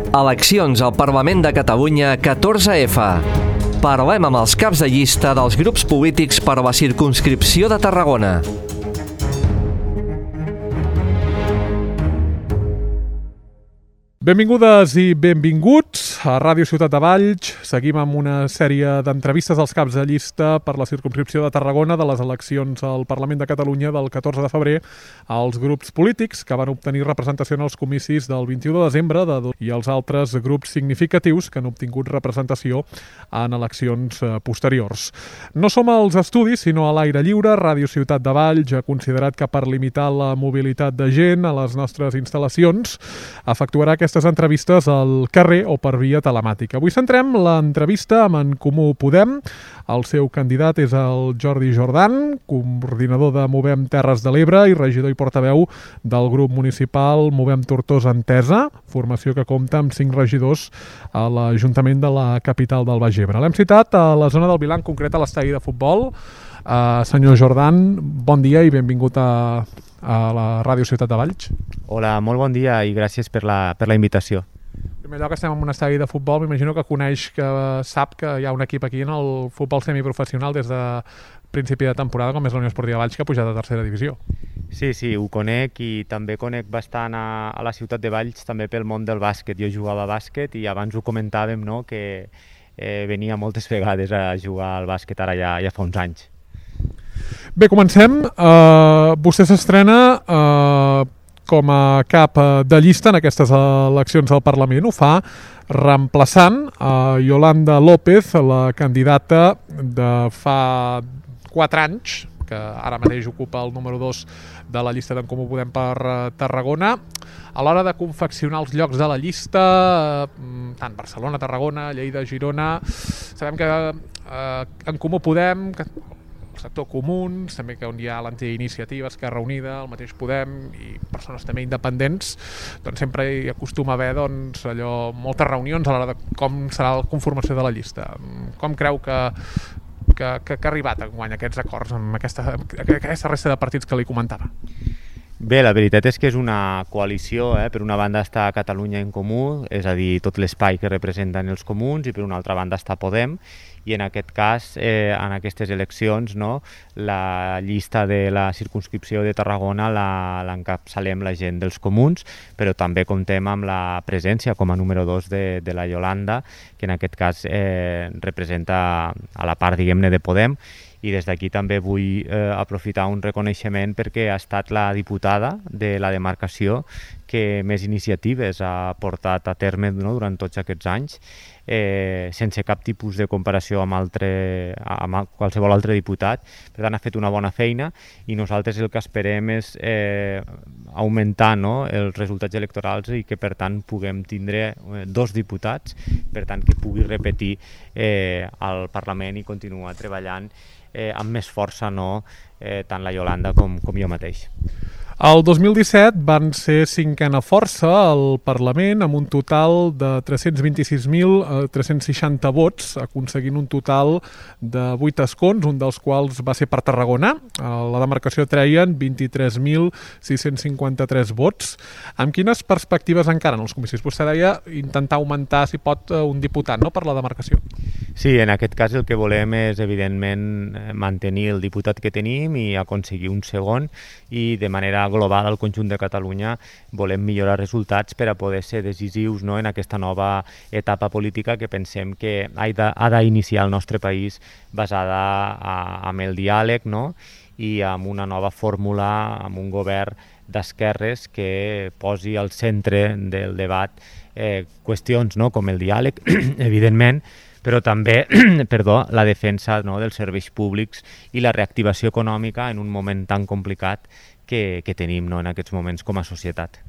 Eleccions al Parlament de Catalunya 14F. Parlem amb els caps de llista dels grups polítics per a la circumscripció de Tarragona. Benvingudes i benvinguts a Ràdio Ciutat de Valls. Seguim amb una sèrie d'entrevistes als caps de llista per la circumscripció de Tarragona de les eleccions al Parlament de Catalunya del 14 de febrer als grups polítics que van obtenir representació en els comicis del 21 de desembre i els altres grups significatius que han obtingut representació en eleccions posteriors. No som als estudis, sinó a l'aire lliure. Ràdio Ciutat de Valls ha considerat que per limitar la mobilitat de gent a les nostres instal·lacions efectuarà aquestes entrevistes al carrer o per via telemàtica. Avui centrem l'entrevista amb En Comú Podem. El seu candidat és el Jordi Jordan, coordinador de Movem Terres de l'Ebre i regidor i portaveu del grup municipal Movem Tortosa Entesa, formació que compta amb 5 regidors a l'Ajuntament de la capital del Baix Ebre. L'hem citat a la zona del Vilar, en concret a l'estadi de futbol. Senyor Jordan, bon dia i benvingut a la Ràdio Ciutat de Valls. Hola, molt bon dia i gràcies per la invitació. En primer lloc, estem en un estadi de futbol. M'imagino que sap que hi ha un equip aquí en el futbol semiprofessional des de principi de temporada, com és la Unió Esportiva Valls, que ha pujat a tercera divisió. Sí, ho conec i també conec bastant a la ciutat de Valls també pel món del bàsquet. Jo jugava a bàsquet i abans ho comentàvem, no?, que venia moltes vegades a jugar al bàsquet, ara ja fa uns anys. Bé, comencem. Vostè s'estrena com a cap de llista en aquestes eleccions al Parlament. Ho fa reemplaçant Yolanda López, la candidata de fa 4 anys, que ara mateix ocupa el número 2 de la llista d'en Comú Podem per Tarragona. A l'hora de confeccionar els llocs de la llista, tant Barcelona, Tarragona, Lleida, Girona, sabem que en Comú Podem, el sector Comuns, també que on hi ha l'Antiiniciativa, Esquerra Unida, el mateix Podem i persones també independents, doncs sempre hi acostuma a haver moltes reunions a l'hora de com serà la conformació de la llista. Com creu que ha arribat enguany aquests acords amb aquesta resta de partits que li comentava? Bé, la veritat és que és una coalició. Per una banda està Catalunya en Comú, és a dir, tot l'espai que representen els comuns, i per una altra banda està Podem, i en aquest cas, en aquestes eleccions, no, la llista de la circumscripció de Tarragona l'encapçalem la gent dels comuns, però també comptem amb la presència com a número 2 de la Yolanda, que en aquest cas representa a la part, diguem-ne, de Podem. I des d'aquí també vull aprofitar un reconeixement perquè ha estat la diputada de la demarcació que més iniciatives ha portat a terme, no, durant tots aquests anys, sense cap tipus de comparació amb qualsevol altre diputat. Per tant, ha fet una bona feina i nosaltres el que esperem és augmentar, no, els resultats electorals i que, per tant, puguem tindre 2 diputats, per tant, que pugui repetir al Parlament i continuar treballant amb més força, no, tant la Yolanda com jo mateix. El 2017 van ser 5a força al Parlament amb un total de 326.360 vots, aconseguint un total de 8 escons, un dels quals va ser per Tarragona. A la demarcació treien 23.653 vots. Amb quines perspectives encara en els comicis? Vostè deia intentar augmentar, si pot, un diputat, no?, per la demarcació. Sí, en aquest cas el que volem és, evidentment, mantenir el diputat que tenim i aconseguir un segon, i de manera global al conjunt de Catalunya volem millorar resultats per a poder ser decisius, no, en aquesta nova etapa política que pensem que ha d'iniciar el nostre país basada amb el diàleg, no, i amb una nova fórmula, amb un govern d'esquerres que posi al centre del debat qüestions, no, com el diàleg, evidentment, però també la defensa, no, dels serveis públics i la reactivació econòmica en un moment tan complicat que tenim, no, en aquests moments com a societat.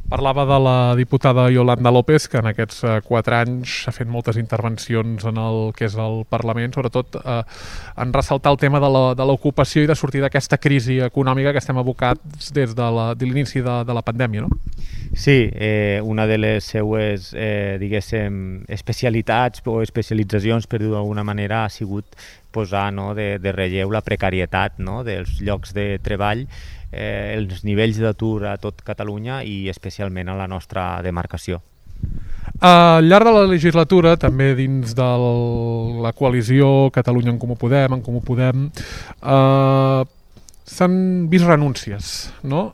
Parlava de la diputada Yolanda López, que en aquests 4 anys ha fet moltes intervencions en el que és el Parlament, sobretot en ressaltar el tema de l'ocupació i de sortir d'aquesta crisi econòmica que estem abocats des de l'inici de la pandèmia, no? Sí, una de les seues, diguéssim, especialitats o especialitzacions, per dir-ho d'alguna manera, ha sigut posar, no, de relleu la precarietat, no, dels llocs de treball, els nivells d'atur a tot Catalunya i especialment a la nostra demarcació. Al llarg de la legislatura, també dins de la coalició Catalunya en Comú Podem, s'han vist renúncies, no?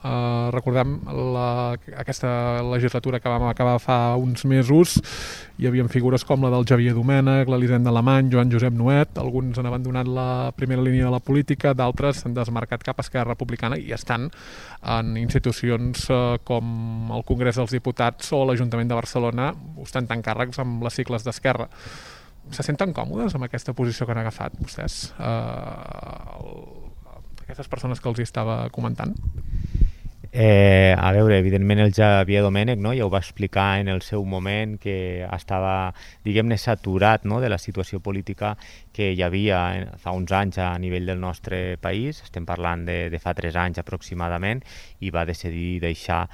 Recordem aquesta legislatura que vam acabar fa uns mesos, hi havia figures com la del Xavier Domènech, l'Elisenda Alemany, Joan Josep Nuet, alguns han abandonat la primera línia de la política, d'altres s'han desmarcat cap a Esquerra Republicana i estan en institucions com el Congrés dels Diputats o l'Ajuntament de Barcelona, ostentant càrrecs amb les sigles d'Esquerra. Se senten còmodes amb aquesta posició que han agafat vostès? Aquestes persones que els estava comentant? A veure, evidentment el Xavier Domènech, no, ja ho va explicar en el seu moment, que estava, diguem-ne, saturat, no, de la situació política que hi havia fa uns anys a nivell del nostre país, estem parlant de fa 3 anys aproximadament, i va decidir deixar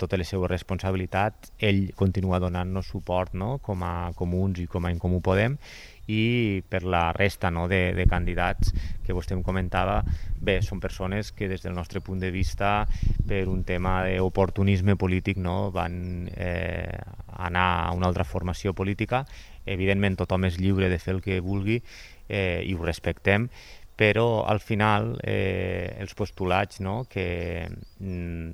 totes les seves responsabilitats. Ell continua donant-nos suport, no, com a Comuns i com a En Comú Podem, i per la resta, no, de candidats que vostè em comentava, bé, són persones que des del nostre punt de vista, per un tema d'oportunisme polític, no, van anar a una altra formació política. Evidentment tothom és lliure de fer el que vulgui i ho respectem, però al final els postulats, no, que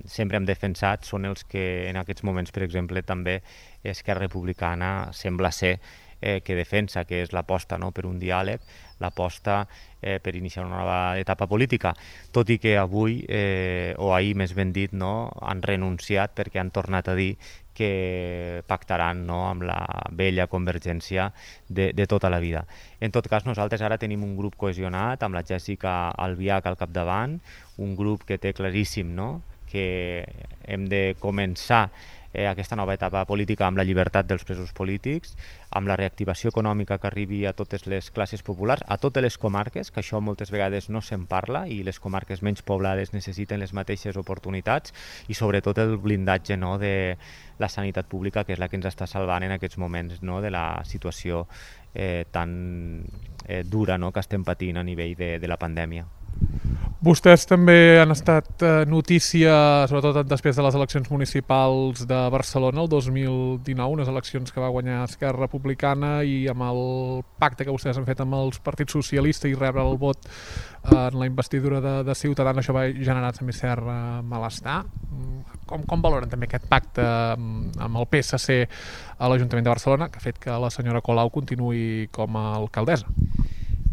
sempre hem defensat són els que en aquests moments, per exemple, també Esquerra Republicana sembla ser que defensa, que és l'aposta, no, per un diàleg, l'aposta per iniciar una nova etapa política, tot i que avui, o ahir més ben dit, no, han renunciat perquè han tornat a dir que pactaran, no, amb la vella Convergència de tota la vida. En tot cas, nosaltres ara tenim un grup cohesionat amb la Jèssica Albiach al capdavant, un grup que té claríssim, no, que hem de començar aquesta nova etapa política amb la llibertat dels presos polítics, amb la reactivació econòmica que arribi a totes les classes populars, a totes les comarques, que això moltes vegades no se'n parla i les comarques menys poblades necessiten les mateixes oportunitats, i sobretot el blindatge, no, de la sanitat pública, que és la que ens està salvant en aquests moments, no, de la situació tan dura, no, que estem patint a nivell de la pandèmia. Vostès també han estat notícia, sobretot després de les eleccions municipals de Barcelona el 2019, unes eleccions que va guanyar Esquerra Republicana, i amb el pacte que vostès han fet amb els partits socialistes i rebre el vot en la investidura de Ciutadans, això va generar també cert malestar. Com valoren també aquest pacte amb el PSC a l'Ajuntament de Barcelona, que ha fet que la senyora Colau continuï com a alcaldessa?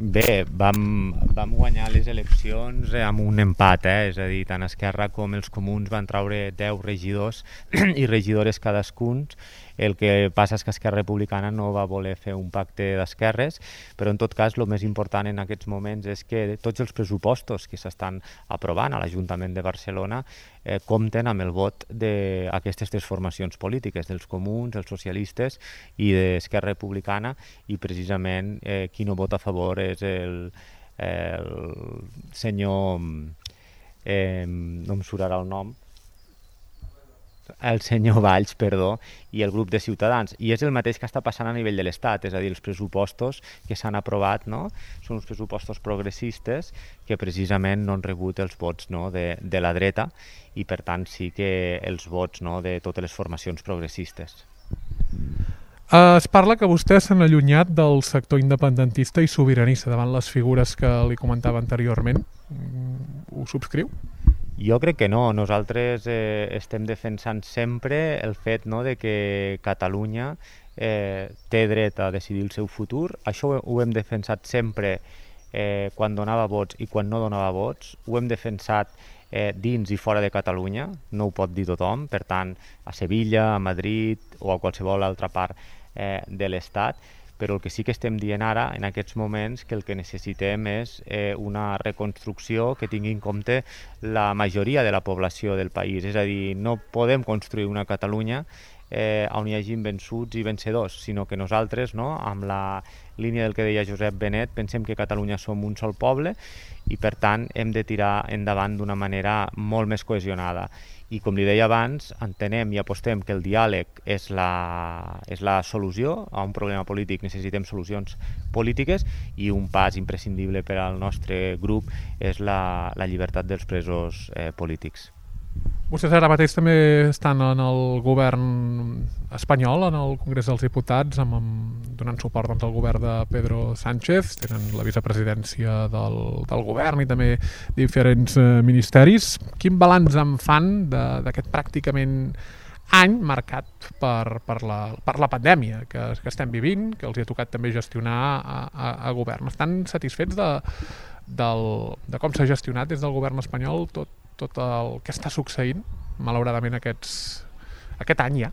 Bé, vam guanyar les eleccions amb un empat, és a dir, tant Esquerra com els Comuns van traure 10 regidors i regidores cadascuns. El que passa és que Esquerra Republicana no va voler fer un pacte d'esquerres, però en tot cas el més important en aquests moments és que tots els pressupostos que s'estan aprovant a l'Ajuntament de Barcelona compten amb el vot d'aquestes 3 formacions polítiques, dels Comuns, els socialistes i d'Esquerra Republicana, i precisament qui no vota a favor és el senyor, no em surarà el nom, el senyor Valls, perdó, i el grup de Ciutadans. I és el mateix que està passant a nivell de l'Estat, és a dir, els pressupostos que s'han aprovat, no, són uns pressupostos progressistes que precisament no han rebut els vots, no, de la dreta, i per tant sí que els vots, no, de totes les formacions progressistes. Es parla que vostès s'han allunyat del sector independentista i sobiranista davant les figures que li comentava anteriorment. Ho subscriu? Jo crec que no. Nosaltres estem defensant sempre el fet, no, de que Catalunya té dret a decidir el seu futur. Això ho hem defensat sempre quan donava vots i quan no donava vots. Ho hem defensat dins i fora de Catalunya, no ho pot dir tothom. Per tant, a Sevilla, a Madrid o a qualsevol altra part de l'Estat. Però el que sí que estem dient ara, en aquests moments, que el que necessitem és una reconstrucció que tingui en compte la majoria de la població del país. És a dir, no podem construir una Catalunya on hi hagi vençuts i vencedors, sinó que nosaltres, no, amb la línia del que deia Josep Benet, pensem que Catalunya som un sol poble i per tant hem de tirar endavant d'una manera molt més cohesionada. I com li deia abans, entenem i apostem que el diàleg és la solució a un problema polític. Necessitem solucions polítiques i un pas imprescindible per al nostre grup és la llibertat dels presos polítics. Vostès ara mateix també estan en el govern espanyol, en el Congrés dels Diputats, donant suport doncs, al govern de Pedro Sánchez, tenen la vicepresidència del govern i també diferents ministeris. Quin balanç en fan d'aquest pràcticament any marcat per la pandèmia que estem vivint, que els hi ha tocat també gestionar a govern? Estan satisfets de com s'ha gestionat des del govern espanyol tot el que està succeint, malauradament, aquest any ja?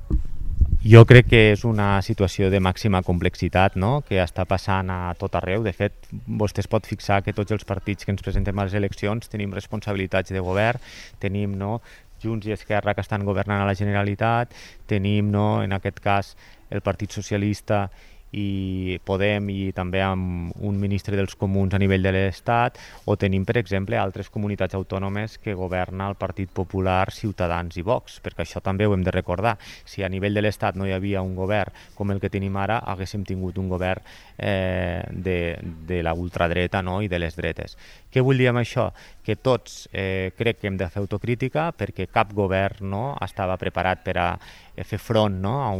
Jo crec que és una situació de màxima complexitat, no?, que està passant a tot arreu. De fet, vostè es pot fixar que tots els partits que ens presentem a les eleccions tenim responsabilitats de govern, tenim, no?, Junts i Esquerra que estan governant a la Generalitat, tenim, no, en aquest cas, el Partit Socialista i Podem i també amb un ministre dels Comuns a nivell de l'Estat, o tenim, per exemple, altres comunitats autònomes que governa el Partit Popular, Ciutadans i Vox, perquè això també ho hem de recordar. Si a nivell de l'Estat no hi havia un govern com el que tenim ara, haguéssim tingut un govern de la ultradreta, no?, i de les dretes. Què vull dir amb això? Que tots crec que hem de fer autocrítica perquè cap govern, no, estava preparat per a fer front, no, a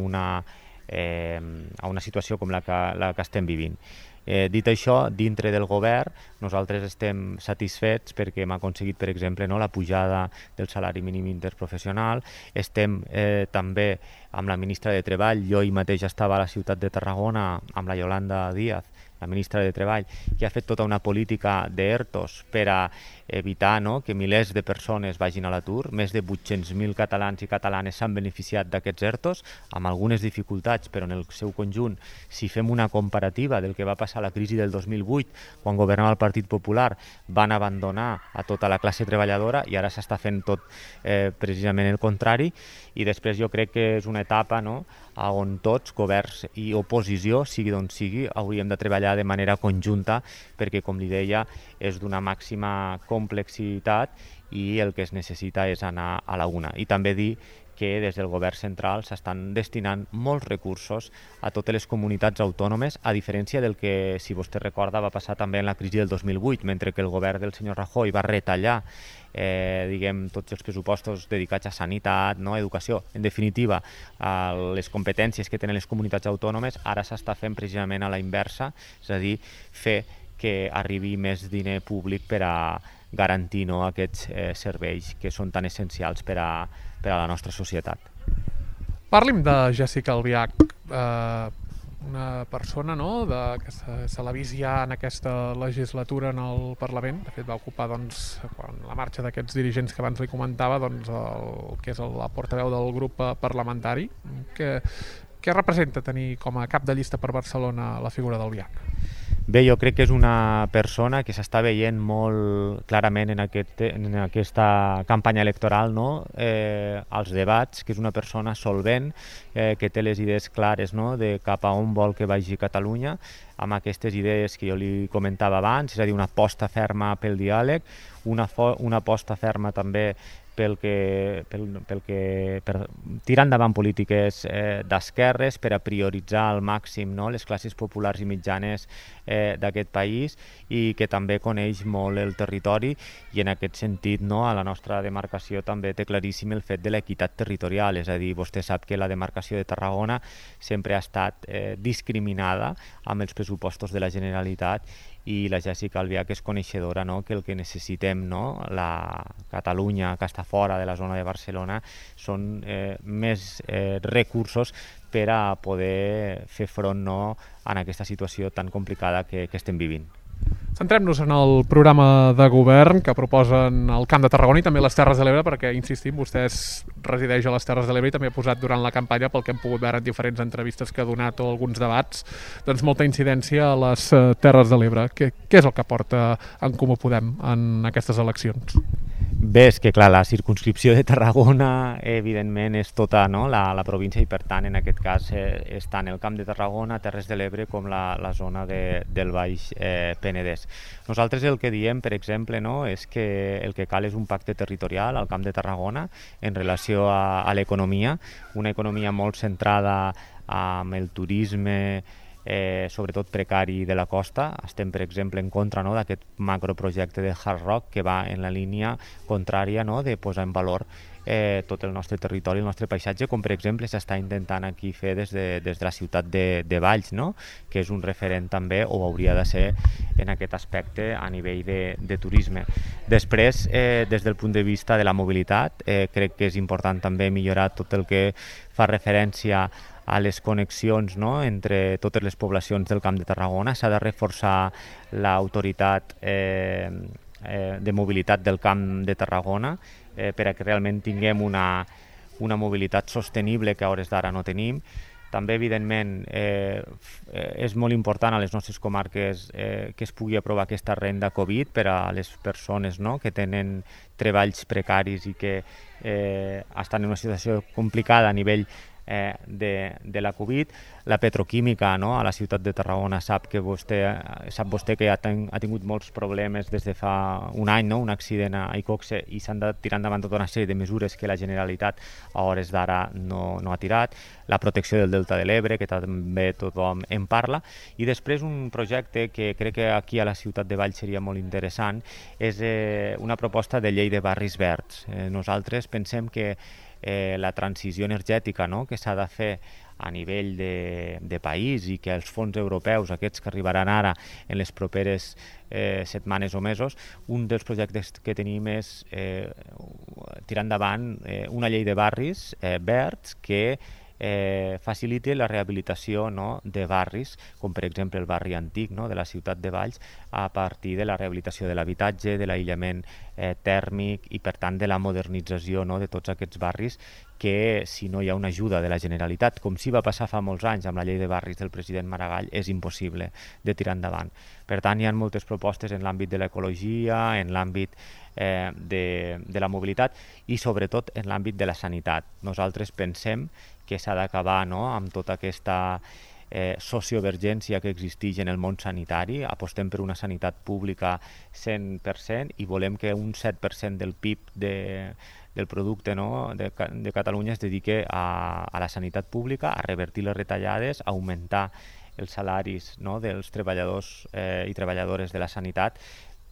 una situació com la que estem vivint. Dit això, dintre del govern, nosaltres estem satisfets perquè hem aconseguit, per exemple, no, la pujada del salari mínim interprofessional. Estem també amb la ministra de Treball. Jo ahir mateix estava a la ciutat de Tarragona amb la Yolanda Díaz, la ministra de Treball, que ha fet tota una política d'ERTOs per a evitar, no, que milers de persones vagin a l'atur. Més de 800.000 catalans i catalanes s'han beneficiat d'aquests ERTOs, amb algunes dificultats, però en el seu conjunt, si fem una comparativa del que va passar a la crisi del 2008, quan governava el Partit Popular, van abandonar a tota la classe treballadora i ara s'està fent tot precisament el contrari. I després jo crec que és una etapa, no?, on tots, governs i oposició, sigui d'on sigui, hauríem de treballar de manera conjunta perquè, com li deia, és d'una màxima complexitat i el que es necessita és anar a la una. I també dir que des del govern central s'estan destinant molts recursos a totes les comunitats autònomes, a diferència del que, si vostè recorda, va passar també en la crisi del 2008, mentre que el govern del senyor Rajoy va retallar tots els pressupostos dedicats a sanitat, no, educació, en definitiva, les competències que tenen les comunitats autònomes, ara s'està fent precisament a la inversa, és a dir, fer que arribi més diner públic per a garantir, no, aquests serveis que són tan essencials per a la nostra societat. Parli'm de Jessica Albiach, una persona, no, que se l'ha vist ja en aquesta legislatura en el Parlament. De fet, va ocupar, doncs, quan la marxa d'aquests dirigents que abans li comentava, doncs, el que és la portaveu del grup parlamentari. Què representa tenir com a cap de llista per Barcelona la figura d'Albiach? Bé, jo crec que és una persona que s'està veient molt clarament en aquesta campanya electoral, no? Als debats, que és una persona solvent, que té les idees clares, no?, de cap a on vol que vagi Catalunya, amb aquestes idees que jo li comentava abans, és a dir, una aposta ferma pel diàleg, una aposta ferma també per tirar endavant polítiques d'esquerres, per a prioritzar al màxim, no, les classes populars i mitjanes d'aquest país, i que també coneix molt el territori, i en aquest sentit, no, a la nostra demarcació també té claríssim el fet de l'equitat territorial, és a dir, vostè sap que la demarcació de Tarragona sempre ha estat discriminada amb els pressupostos de la Generalitat, i la Jessica Albiach és coneixedora, no?, que el que necessitem, no?, la Catalunya que està fora de la zona de Barcelona, són més recursos per a poder fer front, no?, a aquesta situació tan complicada que estem vivint. Centrem-nos en el programa de govern que proposen el Camp de Tarragona i també les Terres de l'Ebre, perquè, insistim, vostès resideix a les Terres de l'Ebre i també ha posat durant la campanya, pel que hem pogut veure en diferents entrevistes que ha donat o alguns debats, doncs molta incidència a les Terres de l'Ebre. Què és el que porta en Comú Podem en aquestes eleccions? Bé, és que clar, la circumscripció de Tarragona evidentment és tota, no, la província, i per tant en aquest cas és tant el Camp de Tarragona, Terres de l'Ebre, com la zona del Baix Penedès. Nosaltres el que diem, per exemple, no, és que el que cal és un pacte territorial al Camp de Tarragona en relació a l'economia, una economia molt centrada amb el turisme, sobretot precari, de la costa. Estem, per exemple, en contra, no, d'aquest macroprojecte de Hard Rock que va en la línia contrària, no, de posar en valor tot el nostre territori, el nostre paisatge, com per exemple s'està intentant aquí fer des de la ciutat de Valls, no? Que és un referent també, o hauria de ser en aquest aspecte a nivell de turisme. Després, des del punt de vista de la mobilitat, crec que és important també millorar tot el que fa referència a les connexions, no?, entre totes les poblacions del Camp de Tarragona. S'ha de reforçar l'autoritat de mobilitat del Camp de Tarragona per a que realment tinguem una mobilitat sostenible que a hores d'ara no tenim. També, evidentment, és molt important a les nostres comarques que es pugui aprovar aquesta renda Covid per a les persones, no?, que tenen treballs precaris i que estan en una situació complicada a nivell de la Covid. La petroquímica, no?, a la ciutat de Tarragona sap vostè que ha tingut molts problemes des de fa un any, no?, un accident a Icoxe, i s'han de tirar endavant tota una sèrie de mesures que la Generalitat a hores d'ara no ha tirat. La protecció del Delta de l'Ebre, que també tothom en parla. I després un projecte que crec que aquí a la ciutat de Valls seria molt interessant és una proposta de llei de barris verds. Nosaltres pensem que la transició energètica, no?, que s'ha de fer a nivell de país, i que els fons europeus, aquests que arribaran ara en les properes setmanes o mesos, un dels projectes que tenim és tirar endavant una llei de barris verds que faciliti la rehabilitació, no?, de barris, com per exemple el barri antic, no?, de la ciutat de Valls, a partir de la rehabilitació de l'habitatge, de l'aïllament tèrmic i, per tant, de la modernització, no?, de tots aquests barris que, si no hi ha una ajuda de la Generalitat, com sí va passar fa molts anys amb la llei de barris del president Maragall, és impossible de tirar endavant. Per tant, hi ha moltes propostes en l'àmbit de l'ecologia, en l'àmbit de la mobilitat i, sobretot, en l'àmbit de la sanitat. Nosaltres pensem que s'ha d'acabar, no?, amb tota aquesta sociovergència que existeix en el món sanitari. Apostem per una sanitat pública 100% i volem que un 7% del PIB del producte, no?, de Catalunya es dediqui a la sanitat pública, a revertir les retallades, a augmentar els salaris, no?, dels treballadors i treballadores de la sanitat,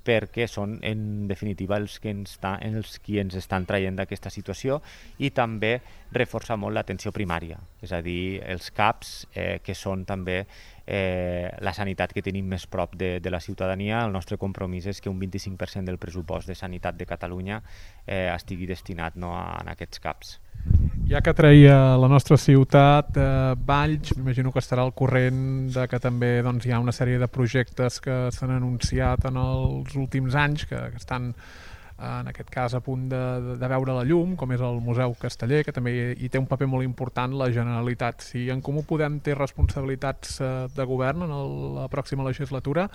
perquè són, en definitiva, els qui ens estan traient d'aquesta situació, i també reforçar molt l'atenció primària, és a dir, els CAPs, que són també la sanitat que tenim més prop de la ciutadania. El nostre compromís és que un 25% del pressupost de sanitat de Catalunya estigui destinat, no?, a aquests CAPs. Ja que treia la nostra ciutat, Valls, m'imagino que estarà al corrent de que també hi ha una sèrie de projectes que s'han anunciat en els últims anys, que estan, en aquest cas, a punt de veure la llum, com és el Museu Casteller, que també hi té un paper molt important la Generalitat. Si en Comú Podem té responsabilitats de govern en la pròxima legislatura,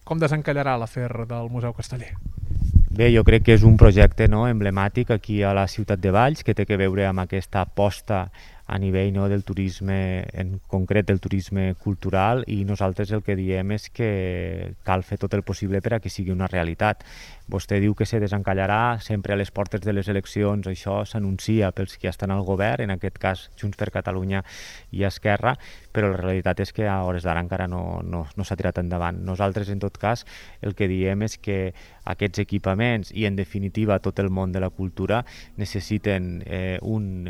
com desencallarà l'afer del Museu Casteller? Bé, jo crec que és un projecte, no?, emblemàtic aquí a la ciutat de Valls, que té a veure amb aquesta aposta a nivell, no?, del turisme, en concret del turisme cultural, i nosaltres el que diem és que cal fer tot el possible per a que sigui una realitat. Vostè diu que se desencallarà, sempre a les portes de les eleccions això s'anuncia pels que estan al govern, en aquest cas Junts per Catalunya i Esquerra, però la realitat és que a hores d'ara encara no s'ha tirat endavant. Nosaltres, en tot cas, el que diem és que aquests equipaments i, en definitiva, tot el món de la cultura necessiten un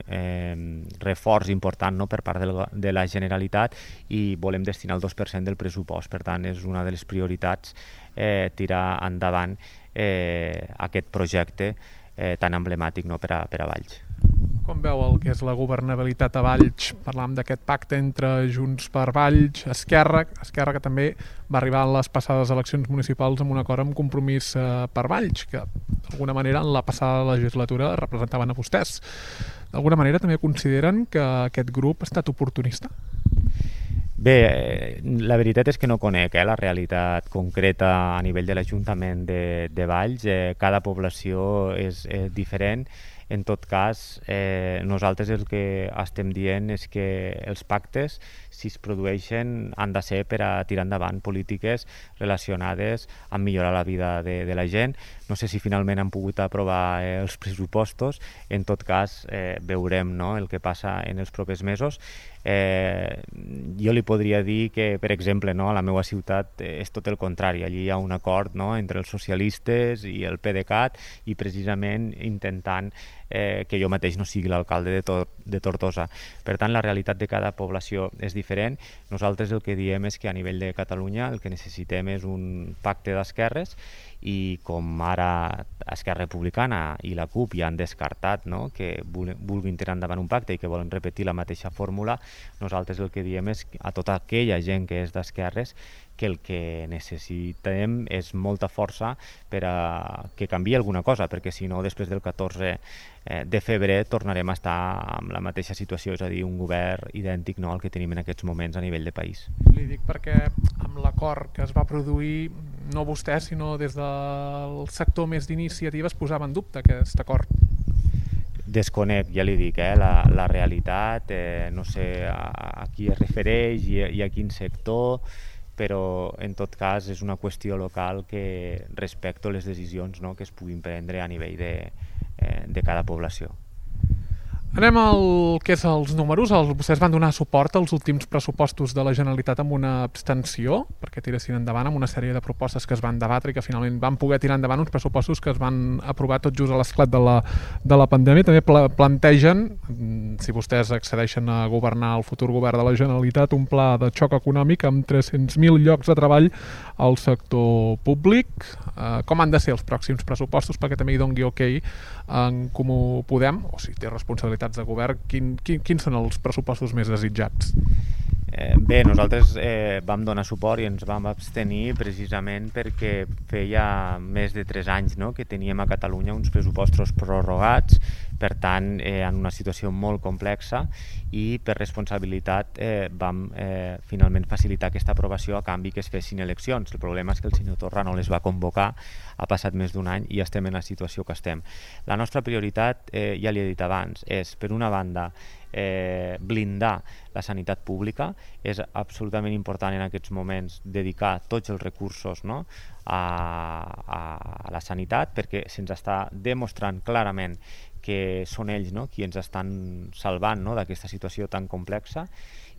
reforç important, no?, per part de la Generalitat, i volem destinar el 2% del pressupost. Per tant, és una de les prioritats tirar endavant aquest projecte tan emblemàtic, no?, per a Valls. Com veu el que és la governabilitat a Valls? Parlàvem d'aquest pacte entre Junts per Valls, Esquerra que també va arribar en les passades eleccions municipals amb un acord amb Compromís per Valls, que d'alguna manera en la passada legislatura representaven a vostès. D'alguna manera també consideren que aquest grup ha estat oportunista? Bé, la veritat és que no conec la realitat concreta a nivell de l'Ajuntament de Valls. Cada població és diferent. En tot cas, nosaltres el que estem dient és que els pactes, si es produeixen, han de ser per a tirar endavant polítiques relacionades amb millorar la vida de la gent. No sé si finalment han pogut aprovar els pressupostos. En tot cas, veurem, no?, el que passa en els propers mesos. Jo li podria dir que, per exemple, no, a la meva ciutat és tot el contrari. Allí hi ha un acord, no?, entre els socialistes i el PDeCAT, i precisament intentant que jo mateix no sigui l'alcalde de Tortosa. Per tant, la realitat de cada població és diferent. Nosaltres el que diem és que a nivell de Catalunya el que necessitem és un pacte d'esquerres, i com ara Esquerra Republicana i la CUP ja han descartat, no?, que vulguin tirar endavant un pacte i que volen repetir la mateixa fórmula, nosaltres el que diem és a tota aquella gent que és d'esquerres que el que necessitem és molta força per a que canviï alguna cosa, perquè si no, després del 14 de febrer tornarem a estar en la mateixa situació, és a dir, un govern idèntic, no?, al que tenim en aquests moments a nivell de país. Li dic perquè amb l'acord que es va produir, no vostè, sinó des del sector més d'iniciativa es posava en dubte aquest acord. Desconec, ja li dic, la realitat, no sé a qui es refereix i a quin sector, però en tot cas és una qüestió local que respecto les decisions, no?, que es puguin prendre a nivell de cada població. Anem al que és els números. Vostès van donar suport als últims pressupostos de la Generalitat amb una abstenció, perquè tiressin endavant amb una sèrie de propostes que es van debatre i que finalment van poder tirar endavant uns pressupostos que es van aprovar tot just a l'esclat de la pandèmia. També plantegen, si vostès accedeixen a governar el futur govern de la Generalitat, un pla de xoc econòmic amb 300.000 llocs de treball al sector públic. Com han de ser els pròxims pressupostos perquè també hi doni ok en Comú Podem, o si té responsabilitats de govern, quins són els pressupostos més desitjats? Bé, nosaltres vam donar suport i ens vam abstenir precisament perquè feia més de 3 anys, no?, que teníem a Catalunya uns pressupostos prorrogats, per tant, en una situació molt complexa, i per responsabilitat vam finalment facilitar aquesta aprovació a canvi que es fessin eleccions. El problema és que el senyor Torra no les va convocar, ha passat més d'1 any i estem en la situació que estem. La nostra prioritat, ja li he dit abans, és, per una banda, blindar la sanitat pública. És absolutament important en aquests moments dedicar tots els recursos, no?, a la sanitat, perquè se'ns està demostrant clarament que són ells, no?, qui ens estan salvant, no?, d'aquesta situació tan complexa.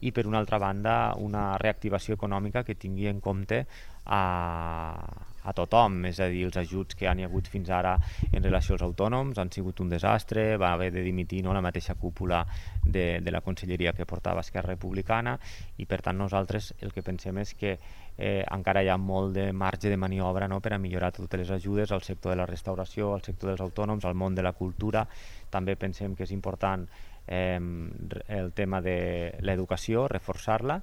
I per una altra banda, una reactivació econòmica que tingui en compte a tothom, és a dir, els ajuts que han hi hagut fins ara en relació als autònoms han sigut un desastre, va haver de dimitir, no?, la mateixa cúpula de la conselleria que portava Esquerra Republicana, i per tant nosaltres el que pensem és que encara hi ha molt de marge de maniobra, no?, per a millorar totes les ajudes al sector de la restauració, al sector dels autònoms, al món de la cultura. També pensem que és important el tema de l'educació, reforçar-la.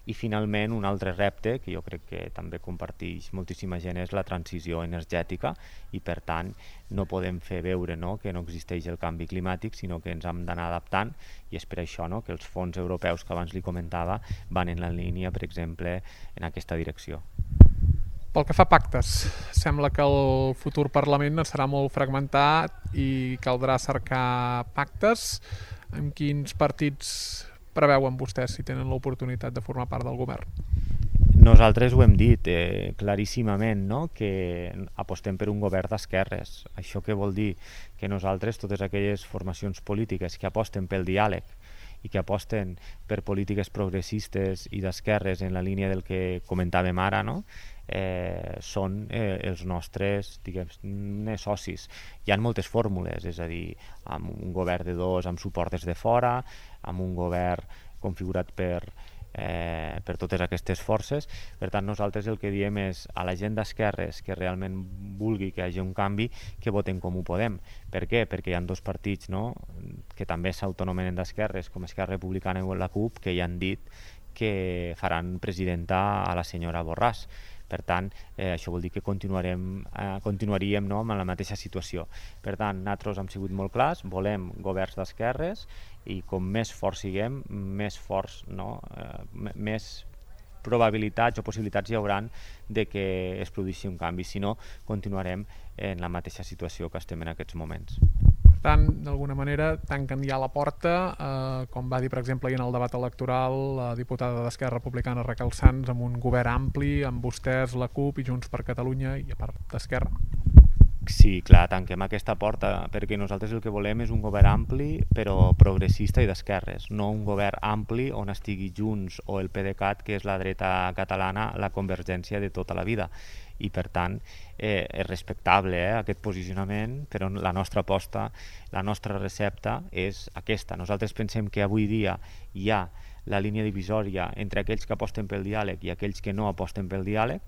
I finalment un altre repte que jo crec que també comparteix moltíssima gent és la transició energètica, i per tant no podem fer veure, no?, que no existeix el canvi climàtic, sinó que ens hem d'anar adaptant, i és per això, no?, que els fons europeus que abans li comentava van en la línia, per exemple, en aquesta direcció. Pel que fa a pactes, sembla que el futur Parlament serà molt fragmentat i caldrà cercar pactes. Amb quins partits preveuen vostès si tenen l'oportunitat de formar part del govern? Nosaltres ho hem dit claríssimament, no?, que apostem per un govern d'esquerres. Això què vol dir? Que nosaltres, totes aquelles formacions polítiques que aposten pel diàleg i que aposten per polítiques progressistes i d'esquerres en la línia del que comentàvem ara, no?, són els nostres, diguem, socis. Hi ha moltes fórmules, és a dir, amb un govern de 2 amb suport des de fora, amb un govern configurat per totes aquestes forces. Per tant, nosaltres el que diem és a la gent d'esquerres que realment vulgui que hi hagi un canvi, que voten Com Ho Podem. Per què? Perquè hi ha 2 partits, no?, que també s'autonomenen d'esquerres, com Esquerra Republicana i la CUP, que ja han dit que faran presidenta a la senyora Borràs. Per tant, això vol dir que continuaríem, no?, amb la mateixa situació. Per tant, nosaltres hem sigut molt clars, volem governs d'esquerres, i com més forts siguem, més forts, no?, més probabilitats o possibilitats hi hauran de que es produeixi un canvi. Si no, continuarem en la mateixa situació que estem en aquests moments. Per tant, d'alguna manera, tanquen ja la porta, com va dir, per exemple, en el debat electoral la diputada d'Esquerra Republicana Raquel Sans, amb un govern ampli, amb vostès, la CUP i Junts per Catalunya, i a part d'Esquerra. Sí, clar, tanquem aquesta porta perquè nosaltres el que volem és un govern ampli però progressista i d'esquerres, no un govern ampli on estigui Junts o el PDeCAT, que és la dreta catalana, la convergència de tota la vida. I per tant és respectable aquest posicionament, però la nostra aposta, la nostra recepta és aquesta. Nosaltres pensem que avui dia hi ha la línia divisòria entre aquells que aposten pel diàleg i aquells que no aposten pel diàleg,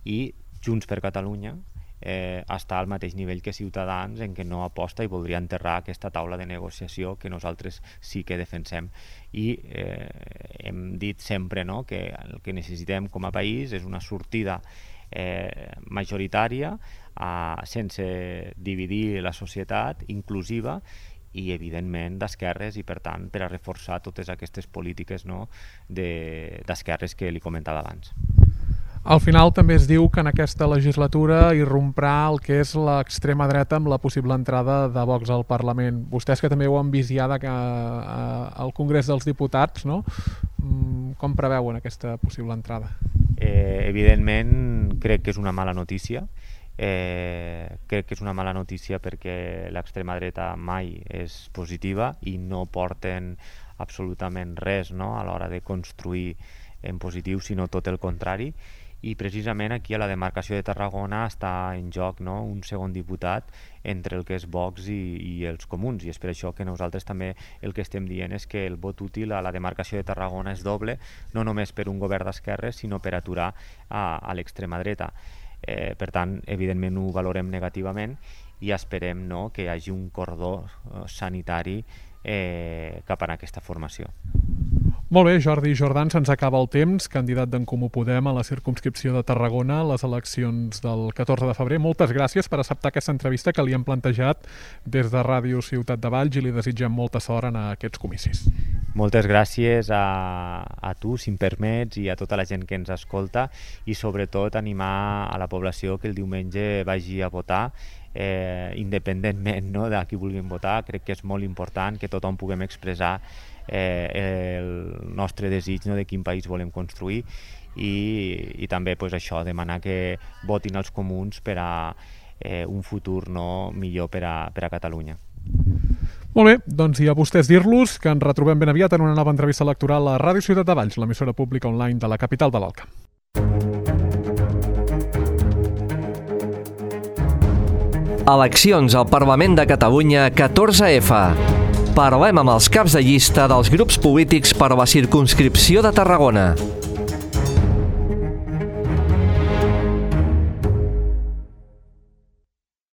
i Junts per Catalunya està al mateix nivell que Ciutadans, en què no aposta i voldria enterrar aquesta taula de negociació que nosaltres sí que defensem. I hem dit sempre que el que necessitem com a país és una sortida majoritària sense dividir la societat, inclusiva i evidentment d'esquerres, i per tant per a reforçar totes aquestes polítiques d'esquerres que li comentava abans. Al final també es diu que en aquesta legislatura irromprà el que és l'extrema dreta amb la possible entrada de Vox al Parlament. Vostès que també ho han vist ja al Congrés dels Diputats, no? Com preveuen aquesta possible entrada? Evidentment crec que és una mala notícia. Crec que és una mala notícia perquè l'extrema dreta mai és positiva i no porten absolutament res a l'hora de construir en positiu, sinó tot el contrari. I precisament aquí a la demarcació de Tarragona està en joc un segon diputat entre el que és Vox i els comuns, i és per això que nosaltres també el que estem dient és que el vot útil a la demarcació de Tarragona és doble, no només per un govern d'esquerres, sinó per aturar a l'extrema dreta. Per tant, evidentment ho valorem negativament i esperem que hi hagi un cordó sanitari cap a aquesta formació. Molt bé, Jordi Jordan, se'ns acaba el temps, candidat d'en Comú Podem a la circumscripció de Tarragona a les eleccions del 14 de febrer. Moltes gràcies per acceptar aquesta entrevista que li hem plantejat des de Ràdio Ciutat de Valls i li desitgem molta sort en aquests comicis. Moltes gràcies a tu, si em permets, i a tota la gent que ens escolta, i sobretot animar a la població que el diumenge vagi a votar, independentment de qui vulguin votar. Crec que és molt important que tothom puguem expressar el nostre desig de quin país volem construir, i també això, demanar que votin els comuns per a un futur millor per a Catalunya. Molt bé, doncs i a vostès dir-los que ens retrobem ben aviat en una nova entrevista electoral a Ràdio Ciutat de Valls, l'emissora pública online de la capital de l'Alt Camp. Eleccions al Parlament de Catalunya 14F. Parlem amb els caps de llista dels grups polítics per a la circumscripció de Tarragona.